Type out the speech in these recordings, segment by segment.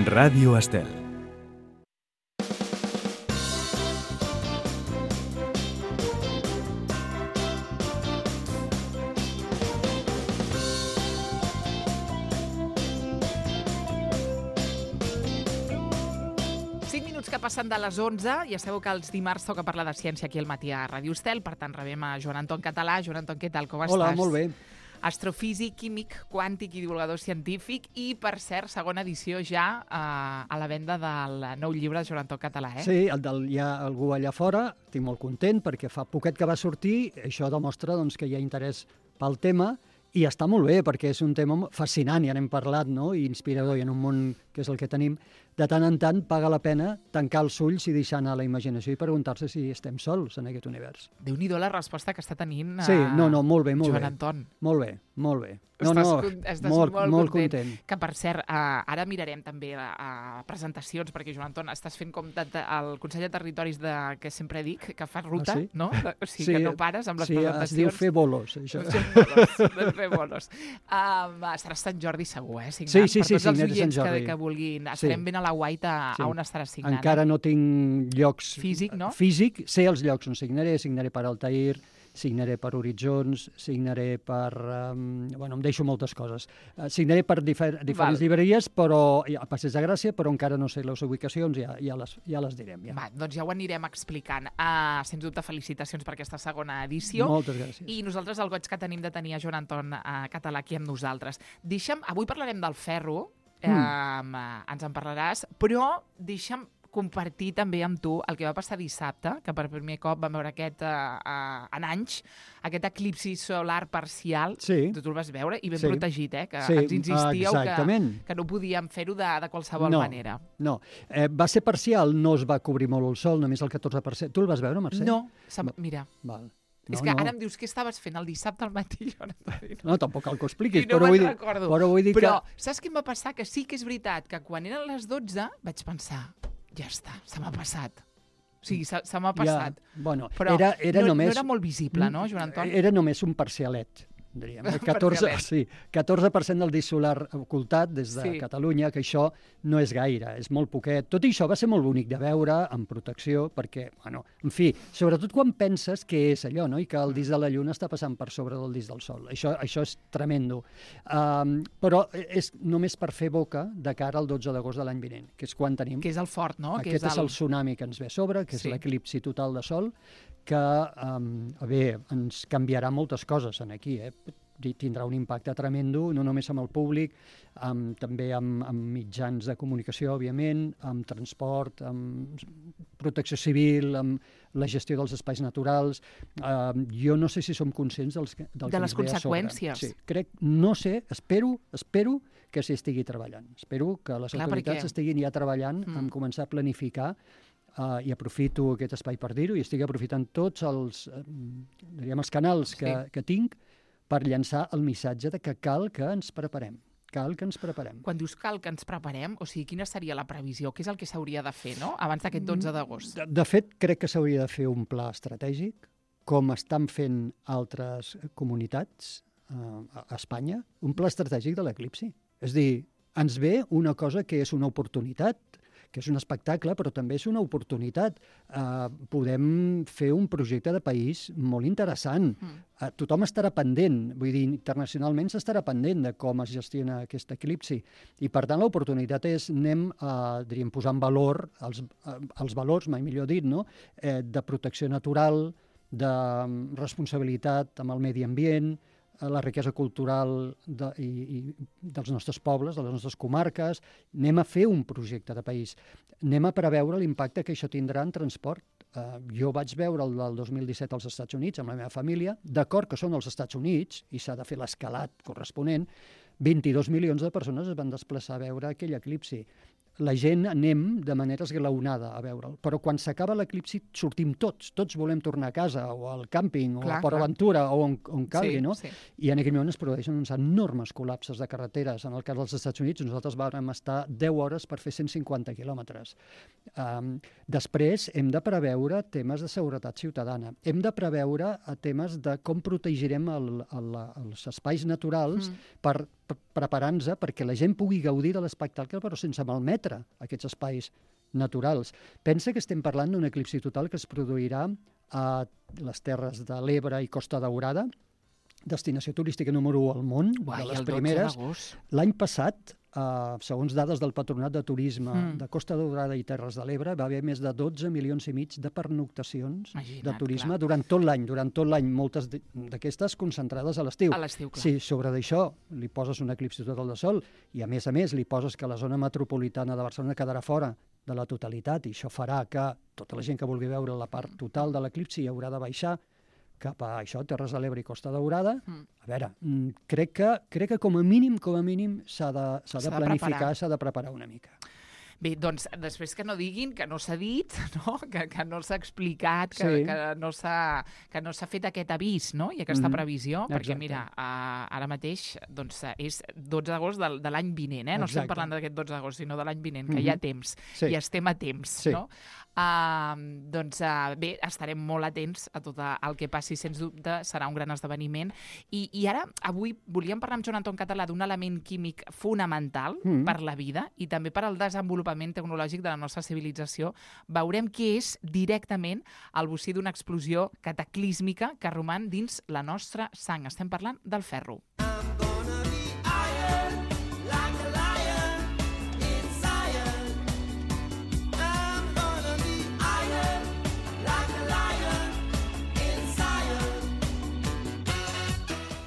Ràdio Estel. Que passen de les 11, ja sabeu que els dimarts toca parlar de ciència aquí al matí a Ràdio Estel, per tant rebem a Joan Anton Català. Joan Anton, què tal, com estàs? Hola, molt bé. Astrofísic, químic, quàntic i divulgador científic i, per cert, segona edició ja a la venda del nou llibre de Joan Anton Català, eh? Sí, hi ha algú allà fora, estic molt content perquè fa poquet que va sortir, això demostra doncs, que hi ha interès pel tema i està molt bé perquè és un tema fascinant, ja n'hem parlat, no? I inspirador, i en un món que és el que tenim, de tant en tant paga la pena tancar els ulls i deixar anar la imaginació i preguntar-se si estem sols en aquest univers. Déu-n'hi-do la resposta que està tenint sí, no, molt bé, molt Joan bé. Anton. Molt bé, molt bé. Estàs molt content. Que, per cert, ara mirarem també presentacions, perquè, Joan Anton, estàs fent com el Consell de Territoris que sempre dic, que fas ruta, sí? No? O sigui, que no pares amb les presentacions. Sí, es diu fer bolos, això. Fer bolos. Estaràs Sant Jordi segur, signat? Sí, per tots els oients que vulguin. Estarem ben a la guaita on estaràs signant. Encara no tinc llocs... Físic, no? Físic, sé els llocs on signaré per Altair, signaré per Horitzons, signaré per... em deixo moltes coses. Signaré per diferents llibreries, però a Passeig de Gràcia, però encara no sé les ubicacions, ja les direm. Ja. Doncs ja ho anirem explicant. Sens dubte, felicitacions per aquesta segona edició. Moltes gràcies. I nosaltres el goig que tenim de tenir a Joan Anton Català aquí amb nosaltres. Avui parlarem del ferro, ens en parlaràs, però deixa'm compartir també amb tu el que va passar dissabte, que per primer cop vam veure en anys, aquest eclipsi solar parcial. Sí. Tu el vas veure i ben protegit, que ens insistíeu que no podíem fer-ho de qualsevol manera. No, va ser parcial, no es va cobrir molt el sol, només el 14%. Tu el vas veure, Mercè? No, mira... Val. És que ara em dius què estaves fent el dissabte al matí. No, tampoc cal que ho expliquis. I no me'n recordo. Però saps què em va passar? Que sí que és veritat que quan eren les 12 vaig pensar, ja està, se m'ha passat. O sigui, se m'ha passat. Però no era molt visible, no, Joan Anton? Era només un parcialet, diríem. 14% del disc solar ocultat des de Catalunya, que això no és gaire, és molt poquet. Tot i això va ser molt bonic de veure, amb protecció, perquè, en fi, sobretot quan penses que és allò, no? I que el disc de la Lluna està passant per sobre del disc del Sol. Això és tremendo. Però és només per fer boca de cara al 12 d'agost de l'any vinent, que és quan tenim... Que és el fort, no? Aquest és el tsunami que ens ve a sobre, que és l'eclipsi total de Sol, que, ens canviarà moltes coses aquí, tindrà un impacte tremendo, no només amb el públic, també amb mitjans de comunicació, òbviament, amb transport, amb protecció civil, amb la gestió dels espais naturals. Jo no sé si som conscients del que ens ve a sobre. De les conseqüències. Sí, no sé, espero que s'hi estigui treballant. Espero que les autoritats estiguin ja treballant en començar a planificar i aprofito aquest espai per dir-ho, i estic aprofitant tots els canals que tinc per llançar el missatge de que cal que ens preparem. Cal que ens preparem. Quan dius cal que ens preparem, o sigui, quina seria la previsió? Què és el que s'hauria de fer, no?, abans d'aquest 12 d'agost? De fet, crec que s'hauria de fer un pla estratègic, com estan fent altres comunitats a Espanya, un pla estratègic de l'eclipsi. És a dir, ens ve una cosa que és una oportunitat, que és un espectacle, però també és una oportunitat. Podem fer un projecte de país molt interessant. Tothom estarà pendent, vull dir, internacionalment s'estarà pendent de com es gestiona aquest eclipsi. I, per tant, l'oportunitat és, posar en valor els valors, mai millor dit, no?, de protecció natural, de responsabilitat amb el medi ambient, la riquesa cultural dels nostres pobles, de les nostres comarques. Anem a fer un projecte de país. Anem a preveure l'impacte que això tindrà en transport. Jo vaig veure el del 2017 als Estats Units amb la meva família. D'acord que són els Estats Units i s'ha de fer l'escalat corresponent, 22 milions de persones es van desplaçar a veure aquell eclipsi. La gent anem de manera esglaonada a veure'l, però quan s'acaba l'eclipsi sortim tots volem tornar a casa o al càmping o a Port Aventura o on calgui, no? I en aquell moment es produeixen uns enormes col·lapses de carreteres. En el cas dels Estats Units nosaltres vam estar 10 hores per fer 150 quilòmetres. Després hem de preveure temes de seguretat ciutadana, hem de preveure temes de com protegirem els espais naturals per preparant-se perquè la gent pugui gaudir de l'espectacle, però sense malmetre aquests espais naturals. Pensa que estem parlant d'un eclipsi total que es produirà a les Terres de l'Ebre i Costa Daurada, destinació turística número 1 al món, Uai, de les el 12 primeres. d'agost. L'any passat, segons dades del Patronat de Turisme de Costa Daurada i Terres de l'Ebre, va haver més de 12 milions i mig de pernoctacions de turisme durant tot l'any, moltes d'aquestes concentrades a l'estiu. A l'estiu, clar. Si sobre d'això li poses un eclipsi total de sol i a més li poses que la zona metropolitana de Barcelona quedarà fora de la totalitat i això farà que tota la gent que vulgui veure la part total de l'eclipsi haurà de baixar cap a això, Terres de l'Ebre i Costa Daurada. A veure, crec que com a mínim s'ha de planificar, s'ha de preparar una mica. Bé, doncs, després que no diguin que no s'ha dit, no? Que no s'ha explicat, que no s'ha fet aquest avís, no? I aquesta previsió, perquè mira, ara mateix doncs, és 12 d'agost de l'any vinent, no estem parlant d'aquest 12 d'agost, sinó de l'any vinent, que hi ha temps, i estem a temps, no? Doncs bé, estarem molt atents a tot el que passi, sens dubte, serà un gran esdeveniment. I ara, avui, volíem parlar amb Joan Anton Català d'un element químic fonamental per la vida i també per al desenvolupament tecnològic de la nostra civilització. Veurem què és directament el bocí d'una explosió cataclísmica que roman dins la nostra sang. Estem parlant del ferro.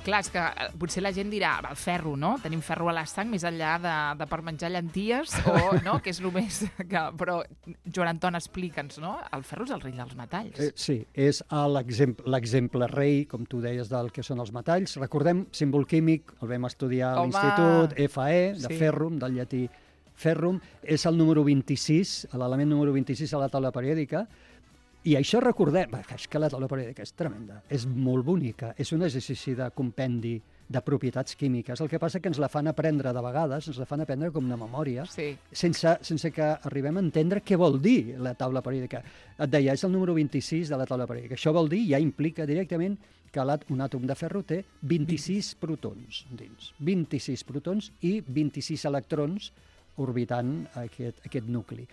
Clar, és que potser la gent dirà, el ferro, no? Tenim ferro a la sang, més enllà de per menjar llenties, o no? Que és només que... Però, Joan Anton, explica'ns, no? El ferro és el rei dels metalls. Sí, és l'exemple rei, com tu deies, del que són els metalls. Recordem, símbol químic, el vam estudiar a l'institut, Fe, de ferrum, del llatí ferrum. És el número 26, l'element número 26 a la taula periòdica. I això recordem, és que la taula periòdica és tremenda, és molt bonica, és un exercici de compendi de propietats químiques. El que passa que ens la fan aprendre de vegades, ens la fan aprendre com una memòria, sense que arribem a entendre què vol dir la taula periòdica. Et deia, és el número 26 de la taula periòdica. Això vol dir, ja implica directament que un àtom de ferro té 26 protons dins. 26 protons i 26 electrons orbitant aquest nucli.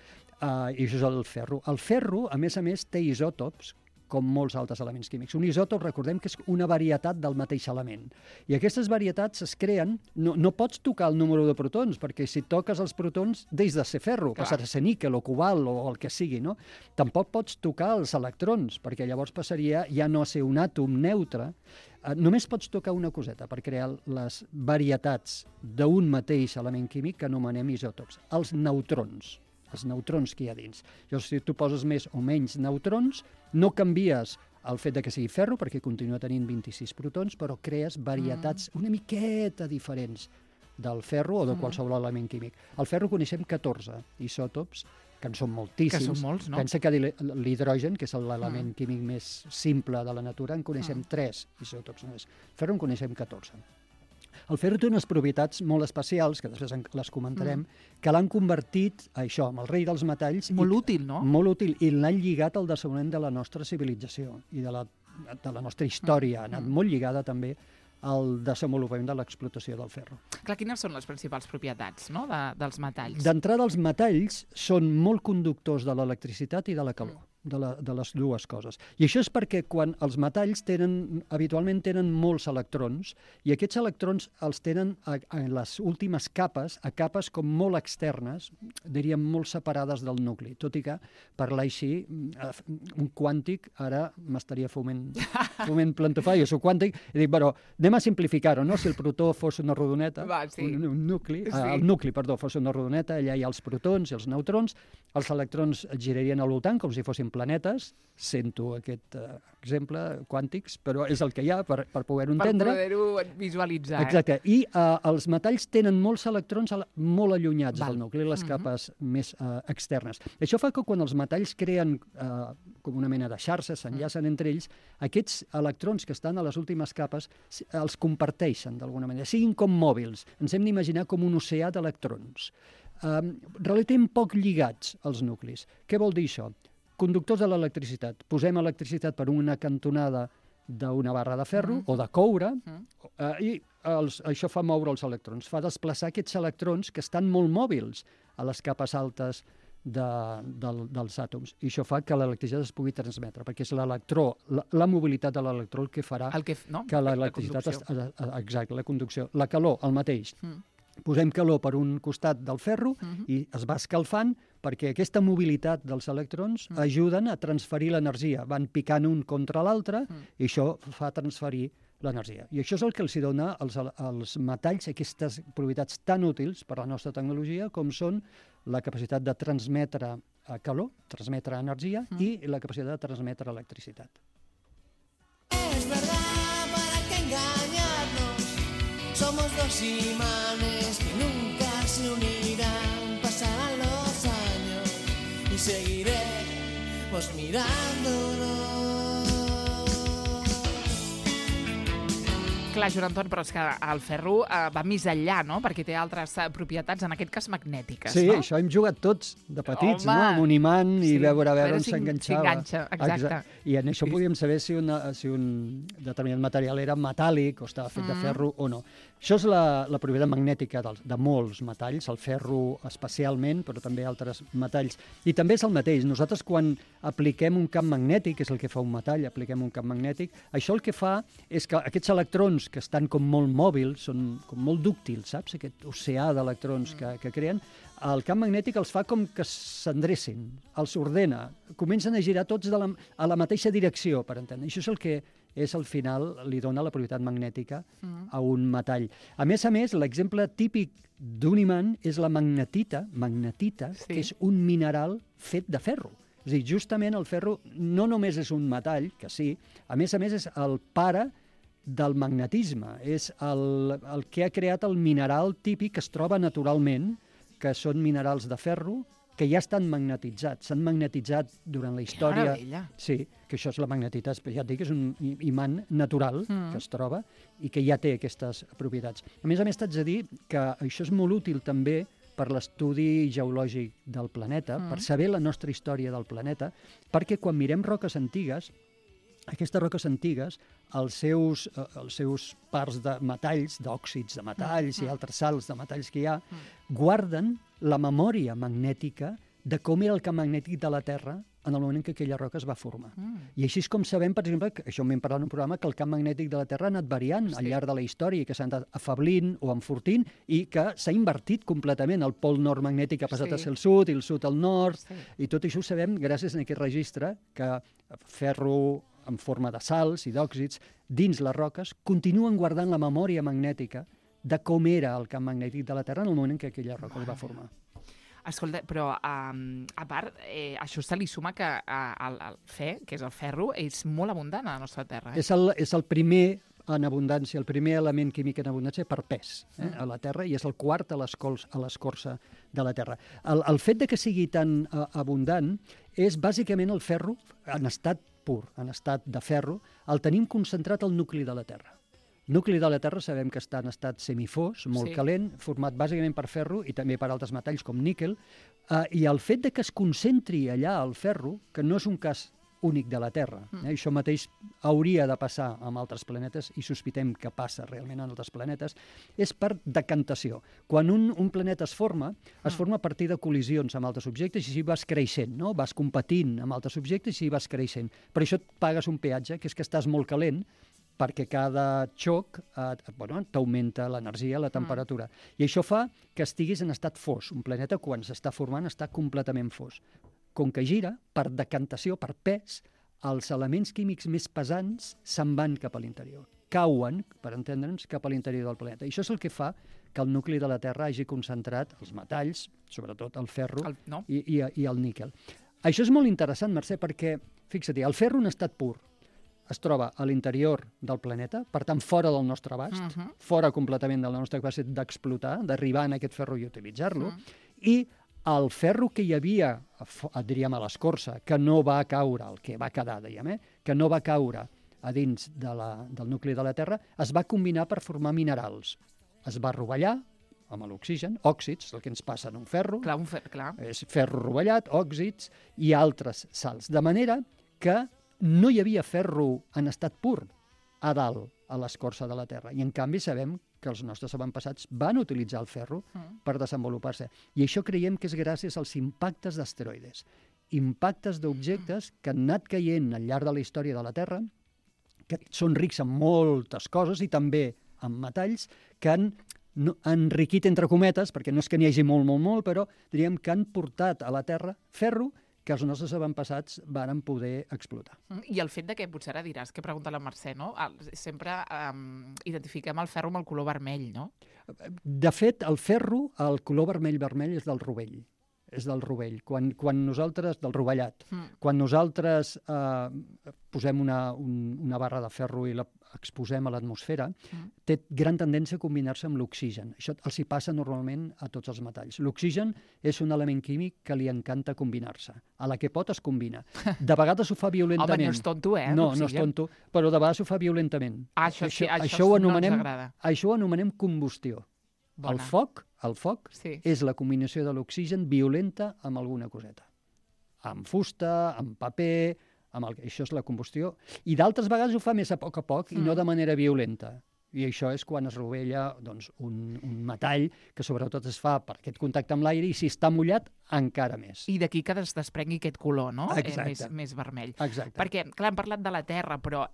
I això és el ferro. El ferro, a més, té isòtops, com molts altres elements químics. Un isòtop, recordem que és una varietat del mateix element. I aquestes varietats es creen... No pots tocar el número de protons, perquè si toques els protons, deix de ser ferro, passarà a ser níquel o cobalt o el que sigui, no? Tampoc pots tocar els electrons, perquè llavors passaria ja no a ser un àtom neutre. Només pots tocar una coseta per crear les varietats d'un mateix element químic que anomenem isòtops, els neutrons. Els neutrons que hi ha dins. Llavors, si tu poses més o menys neutrons, no canvies el fet de que sigui ferro, perquè continua tenint 26 protons, però crees varietats una miqueta diferents del ferro o de qualsevol element químic. Al ferro coneixem 14 isòtops, que en són moltíssims. Que són molts, no? Pensa que l'hidrogen, que és l'element químic més simple de la natura, en coneixem 3 isòtops només. El ferro en coneixem 14. El ferro té unes propietats molt especials, que després les comentarem, que l'han convertit, això, en el rei dels metalls. Molt útil, no? Molt útil, i l'han lligat al desenvolupament de la nostra civilització i de la nostra història. Ha anat molt lligada també al desenvolupament de l'explotació del ferro. Clar, quines són les principals propietats, no?, dels metalls? D'entrada, els metalls són molt conductors de l'electricitat i de la calor. De les dues coses. I això és perquè quan els metalls habitualment tenen molts electrons, i aquests electrons els tenen en les últimes capes, a capes com molt externes, diríem molt separades del nucli, tot i que parlar així, un quàntic, ara m'estaria fumant plantofar, jo soc quàntic, i dic, però anem a simplificar-ho, no? Si el protó fos una rodoneta, un nucli, el nucli, perdó, fos una rodoneta, allà hi ha els protons i els neutrons, els electrons girarien al voltant com si fossin planetes, sento aquest exemple, quàntics, però és el que hi ha per poder-ho entendre. Per poder-ho visualitzar. Exacte. I els metalls tenen molts electrons molt allunyats del nucli, les capes més externes. Això fa que quan els metalls creen com una mena de xarxa, s'enllacen entre ells, aquests electrons que estan a les últimes capes els comparteixen d'alguna manera, siguin com mòbils. Ens hem d'imaginar com un oceà d'electrons. Relativament poc lligats als nuclis. Què vol dir això? Conductors de l'electricitat. Posem electricitat per una cantonada d'una barra de ferro o de coure, i això fa moure els electrons, fa desplaçar aquests electrons que estan molt mòbils a les capes altes dels àtoms. I això fa que l'electricitat es pugui transmetre, perquè és l'electró, la mobilitat de l'electró el que farà que l'electricitat... Exacte, la conducció. La calor, el mateix. Posem calor per un costat del ferro i es va escalfant perquè aquesta mobilitat dels electrons ajuden a transferir l'energia. Van picant un contra l'altre i això fa transferir l'energia. I això és el que els dona als metalls aquestes propietats tan útils per a la nostra tecnologia com són la capacitat de transmetre calor, transmetre energia i la capacitat de transmetre electricitat. Es verdad, ¿para qué engañarnos? Somos dos imanes que nunca se unirán. Pasarán los años y seguiremos mirándonos. Clar, Joan Anton, però és que el ferro va més enllà, no? Perquè té altres propietats, en aquest cas magnètiques, sí, no? Sí, això hem jugat tots de petits, no? Amb un imant i veure on s'enganxava. Exacte. I en això podíem saber si un determinat material era metàl·lic o estava fet de ferro o no. Això és la propietat magnètica de molts metalls, el ferro especialment, però també altres metalls. I també és el mateix. Nosaltres, quan apliquem un camp magnètic, que és el que fa un metall, apliquem un camp magnètic, això el que fa és que aquests electrons que estan com molt mòbils, són com molt dúctils, saps? Aquest oceà d'electrons que creen, el camp magnètic els fa com que s'endrecin, els ordena, comencen a girar tots a la mateixa direcció, per entendre. Això és el que al final li dona la propietat magnètica a un metall. A més, l'exemple típic d'un imant és la magnetita, que és un mineral fet de ferro. És a dir, justament el ferro no només és un metall, que sí, a més és el pare del magnetisme, és el que ha creat el mineral típic que es troba naturalment, que són minerals de ferro, que ja estan magnetitzats, s'han magnetitzat durant la història. Que meravella! Sí, que això és la magnetita, ja et dic, és un imant natural que es troba i que ja té aquestes propietats. A més, t'haig de dir que això és molt útil també per l'estudi geològic del planeta, per saber la nostra història del planeta, perquè quan mirem roques antigues, aquestes roques antigues, els seus parts de metalls, d'òxids de metalls i altres sals de metalls que hi ha, guarden la memòria magnètica de com era el camp magnètic de la Terra en el moment en què aquella roca es va formar. I així és com sabem, per exemple, que això m'hem parlat en un programa, que el camp magnètic de la Terra ha anat variant al llarg de la història, que s'ha anat afablint o enfortint i que s'ha invertit completament. El pol nord magnètic ha passat a ser el sud i el sud al nord, i tot això ho sabem gràcies a aquest registre que ferro en forma de sals i d'òxids dins les roques continuen guardant la memòria magnètica de com era el camp magnètic de la Terra en el moment en què aquella roca es va formar. Escolta, però a part, això se li suma que el fe, que és el ferro, és molt abundant a la nostra Terra. És el primer en abundància, el primer element químic en abundància per pes a la Terra, i és el quart a l'escorça de la Terra. El fet de que sigui tan abundant és bàsicament el ferro en estat pur, en estat de ferro, el tenim concentrat al nucli de la Terra. El nucli de la Terra sabem que està en estat semifós, molt calent, format bàsicament per ferro i també per altres metalls com níquel, i el fet de que es concentri allà el ferro, que no és un cas únic de la Terra, això mateix hauria de passar amb altres planetes i sospitem que passa realment en altres planetes, és per decantació. Quan un planeta es forma a partir de col·lisions amb altres objectes i així vas creixent, no? Vas competint amb altres objectes i així vas creixent. Per això et pagues un peatge, que és que estàs molt calent, perquè cada xoc t'augmenta l'energia, la temperatura. I això fa que estiguis en estat fos. Un planeta, quan s'està formant, està completament fos. Com que gira, per decantació, per pes, els elements químics més pesants se'n van cap a l'interior. Cauen, per entendre'ns, cap a l'interior del planeta. I això és el que fa que el nucli de la Terra hagi concentrat els metalls, sobretot el ferro i el níquel. Això és molt interessant, Mercè, perquè, fixa't, el ferro en estat pur es troba a l'interior del planeta, per tant, fora del nostre abast, fora completament de la nostra capacitat d'explotar, d'arribar en aquest ferro i utilitzar-lo, i el ferro que hi havia, diríem, a l'escorça, que no va caure, el que va quedar, dèiem, que no va caure a dins del nucli de la Terra, es va combinar per formar minerals. Es va rovellar amb l'oxigen, òxids, el que ens passa en un ferro, clar. És ferro rovellat, òxids i altres sals. De manera que no hi havia ferro en estat pur a dalt, a l'escorça de la Terra. I en canvi sabem que els nostres avantpassats van utilitzar el ferro per desenvolupar-se. I això creiem que és gràcies als impactes d'asteroides. Impactes d'objectes que han anat caient al llarg de la història de la Terra, que són rics en moltes coses i també en metalls, que han enriquit, entre cometes, perquè no és que n'hi hagi molt, però diríem que han portat a la Terra ferro que els nostres avantpassats varen poder explotar. I el fet de que, potser ara diràs, que pregunta la Mercè, no? Sempre identifiquem el ferro amb el color vermell, no? De fet, el ferro, el color vermell és del rovell. És del rovell. Quan nosaltres, del rovellat, quan nosaltres posem una barra de ferro i la exposem a l'atmosfera, té gran tendència a combinar-se amb l'oxigen. Això els hi passa normalment a tots els metalls. L'oxigen és un element químic que li encanta combinar-se. A la que pot es combina. De vegades ho fa violentament. Home, no és tonto, No és tonto, però de vegades ho fa violentament. Això no ens agrada. Això ho anomenem combustió. El foc és la combinació de l'oxigen violenta amb alguna coseta. Amb fusta, amb paper, això és la combustió. I d'altres vegades ho fa més a poc i no de manera violenta. I això és quan es rovella un metall que sobretot es fa per aquest contacte amb l'aire i si està mullat encara més. I d'aquí que es desprengui aquest color, no? Exacte. Més vermell. Exacte. Perquè, clar, hem parlat de la Terra, però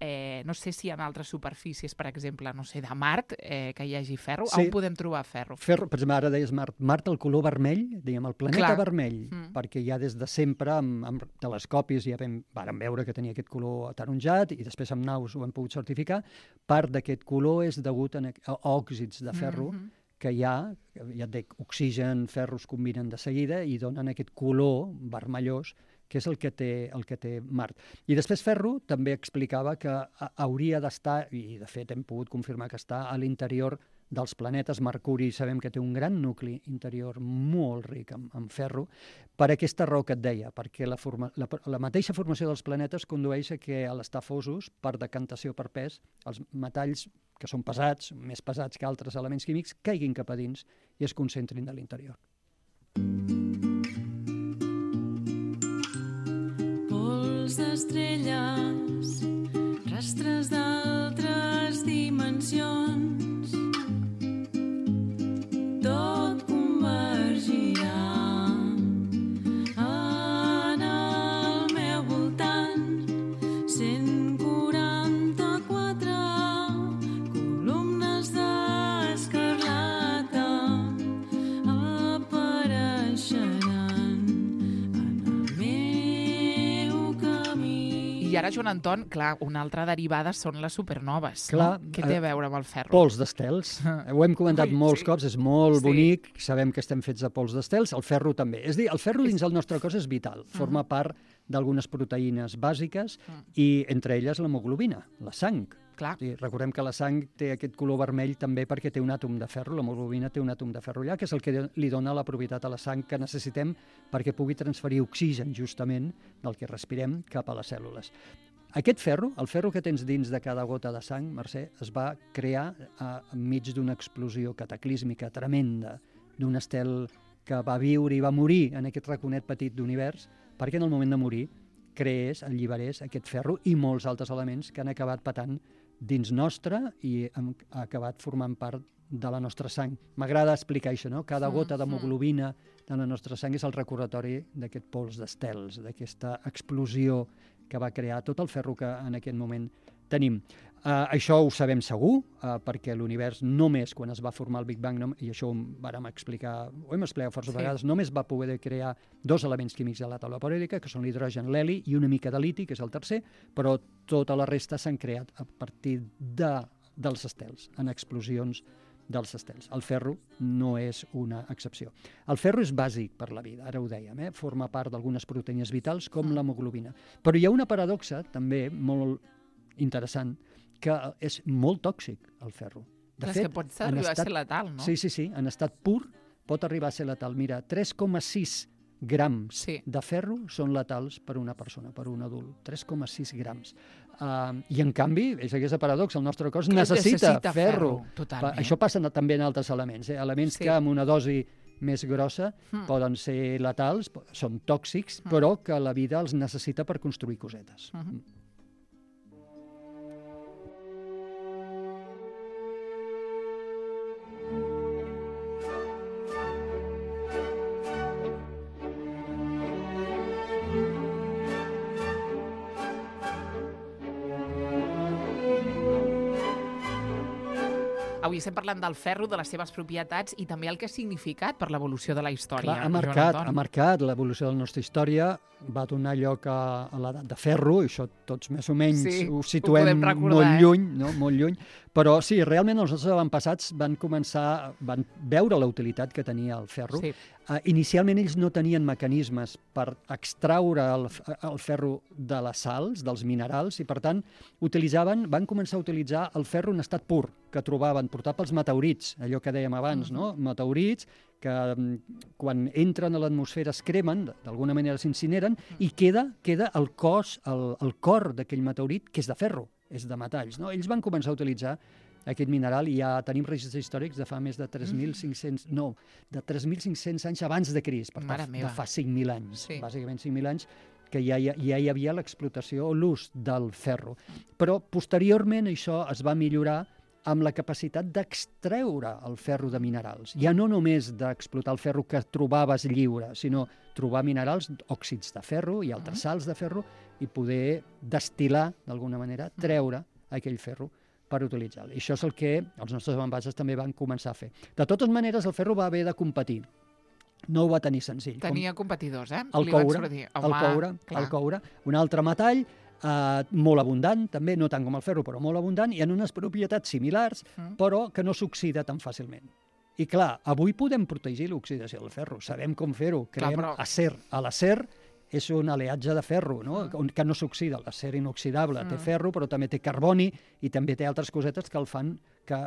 no sé si en altres superfícies, per exemple, no sé, de Mart, que hi hagi ferro, on podem trobar ferro? Ferro, per exemple, ara deies Mart, el color vermell, diguem, el planeta vermell, perquè ja des de sempre, amb telescopis, ja vàrem veure que tenia aquest color ataronjat i després amb naus ho hem pogut certificar. Part d'aquest color és degut a òxids de ferro que ja et dic, oxigen, ferro es combinen de seguida i donen aquest color vermellós que és el que té Mart. I després ferro també explicava que hauria d'estar, i de fet hem pogut confirmar que està a l'interior dels planetes. Mercuri sabem que té un gran nucli interior molt ric en ferro, per aquesta raó que et deia, perquè la mateixa formació dels planetes condueix a que a l'estar fosos, per decantació per pes, els metalls que són pesats, més pesats que altres elements químics, caiguin cap a dins i es concentrin a l'interior. Pols d'estrelles, rastres d'altres dimensions, tot convergirà en el meu voltant. 144 columnes d'escarlata apareixeran en el meu camí. I ara, Joan Anton, clar, una altra derivada són les supernoves. Clar, no? Què té a veure amb el ferro? Pols d'estels. Ho hem comentat molts cops, és molt bonic, sabem que estem fets de pols d'estels, el ferro també. És a dir, el ferro dins el nostre cos és vital, forma part d'algunes proteïnes bàsiques i entre elles l'hemoglobina, la sang. Clar. Recordem que la sang té aquest color vermell també perquè té un àtom de ferro, l'hemoglobina té un àtom de ferro allà, que és el que li dona la propietat a la sang que necessitem perquè pugui transferir oxigen justament del que respirem cap a les cèl·lules. Aquest ferro, el ferro que tens dins de cada gota de sang, Mercè, es va crear enmig d'una explosió cataclísmica tremenda, d'un estel que va viure i va morir en aquest raconet petit d'univers, perquè en el moment de morir creés, alliberés aquest ferro i molts altres elements que han acabat patant dins nostre i han acabat formant part de la nostra sang. M'agrada explicar això, no? Cada gota d'hemoglobina de la nostra sang és el recordatori d'aquest pols d'estels, d'aquesta explosió que va crear tot el ferro que en aquest moment tenim. Això ho sabem segur, perquè l'univers només quan es va formar el Big Bang, i això ho hem explicat força vegades, només va poder crear dos elements químics de la taula periòdica, que són l'hidrogen, l'heli i una mica de liti, que és el tercer, però tota la resta s'han creat a partir dels estels, en explosions dels estels. El ferro no és una excepció. El ferro és bàsic per la vida, ara ho dèiem, forma part d'algunes proteïnes vitals com l'hemoglobina. Però hi ha una paradoxa també molt interessant, que és molt tòxic, el ferro. De fet, que pot arribar a ser letal, no? Sí, en estat pur pot arribar a ser letal. Mira, 3,6 grams de ferro són letals per una persona, per un adult. 3,6 grams. I en canvi, és aquesta paradoxa, el nostre cos necessita ferro. Això passa també en altres elements. Elements que amb una dosi més grossa poden ser letals, són tòxics, però que la vida els necessita per construir cosetes. avui estem parlant del ferro, de les seves propietats i també el que ha significat per l'evolució de la història. Clar, Joan ha Anton. marcat l'evolució de la nostra història, va donar lloc a l'edat de ferro, i això tots més o menys Sí, ho ho situem podem recordar, molt eh? lluny, no? Molt lluny, però sí, realment els nostres avantpassats van veure la utilitat que tenia el ferro. Sí. Inicialment ells no tenien mecanismes per extraure el ferro de les sals, dels minerals, i per tant van començar a utilitzar el ferro en estat pur, que trobaven portat pels meteorits, allò que dèiem abans, no? Meteorits que quan entren a l'atmosfera es cremen, d'alguna manera s'incineren, i queda el cor d'aquell meteorit, que és de ferro, és de metalls. No? Ells van començar a utilitzar aquest mineral i ja tenim registres històrics de fa més de 3.500 anys abans de Crist, per tant, de fa 5.000 anys, bàsicament 5.000 anys, que ja hi havia l'explotació o l'ús del ferro. Però posteriorment això es va millorar amb la capacitat d'extreure el ferro de minerals. Ja no només d'explotar el ferro que trobaves lliure, sinó trobar minerals, òxids de ferro i altres sals de ferro, i poder destil·lar, d'alguna manera, treure aquell ferro per utilitzar-lo. I això és el que els nostres avantpassats també van començar a fer. De totes maneres, el ferro va haver de competir. No ho va tenir senzill. Tenia competidors, eh? El coure, un altre metall, molt abundant, també, no tant com el ferro, però molt abundant, i en unes propietats similars, però que no s'oxida tan fàcilment. I clar, avui podem protegir l'oxidació del ferro, sabem com fer-ho, creem acer. L'acer és un aliatge de ferro, no? Que no s'oxida. L'acer inoxidable té ferro, però també té carboni i també té altres cosetes que el fan que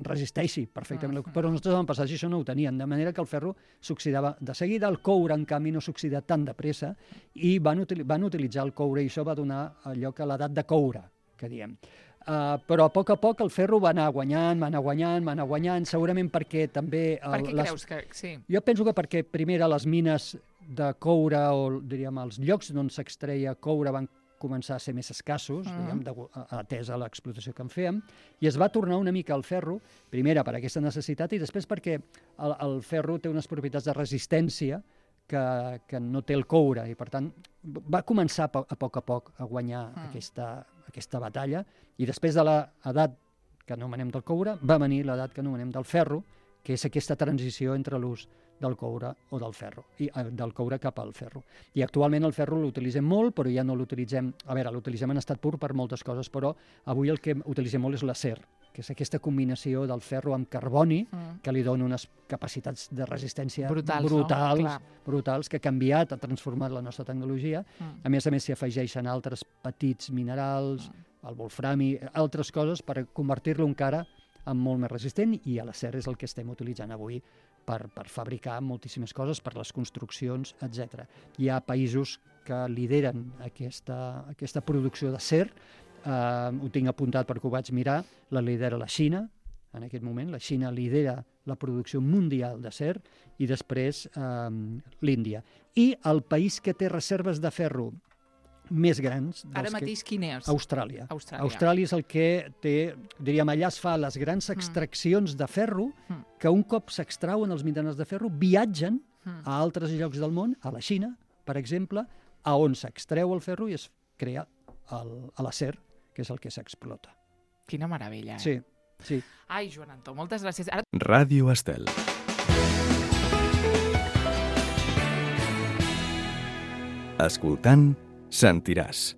resisteixi perfectament. Però els nostres avantpassats això no ho tenien, de manera que el ferro s'oxidava de seguida. El coure, en canvi, no s'oxida tan de pressa i van utilitzar el coure, i això va donar lloc a l'edat de coure, que diem. Però a poc el ferro va anar guanyant, segurament perquè també... Per què creus que... Sí. Jo penso que perquè primer a les mines de coure, o diríem els llocs on s'extreia coure van començar a ser més escassos, atès a l'explotació que en fèiem, i es va tornar una mica al ferro, primera per aquesta necessitat i després perquè el ferro té unes propietats de resistència que no té el coure, i per tant va començar a poc a guanyar aquesta batalla, i després de l'edat que anomenem del coure va venir l'edat que anomenem del ferro, que és aquesta transició entre l'ús del coure o del ferro, i del coure cap al ferro. I actualment el ferro l'utilitzem molt, però ja no l'utilitzem... A veure, l'utilitzem en estat pur per moltes coses, però avui el que utilitzem molt és l'acer, que és aquesta combinació del ferro amb carboni, que li dona unes capacitats de resistència brutals, que ha canviat, ha transformat la nostra tecnologia. A més s'hi afegeixen altres petits minerals, el wolframi, altres coses per convertir-lo encara en molt més resistent, i l'acer és el que estem utilitzant avui per fabricar moltíssimes coses, per les construccions, etc. Hi ha països que lideren aquesta producció d'acer, ho tinc apuntat perquè ho vaig mirar, la lidera la Xina, en aquest moment, la Xina lidera la producció mundial d'acer, i després l'Índia. I el país que té reserves de ferro més grans... Ara mateix quin és? Austràlia. Austràlia és el que té, diríem, allà es fa les grans extraccions de ferro, que un cop s'extrauen els minerals de ferro, viatgen a altres llocs del món, a la Xina, per exemple, a on s'extreu el ferro i es crea l'acer, que és el que s'explota. Quina meravella, Sí. Ai, Joan Anton, moltes gràcies. Ràdio Estel. Escoltant, sentiràs.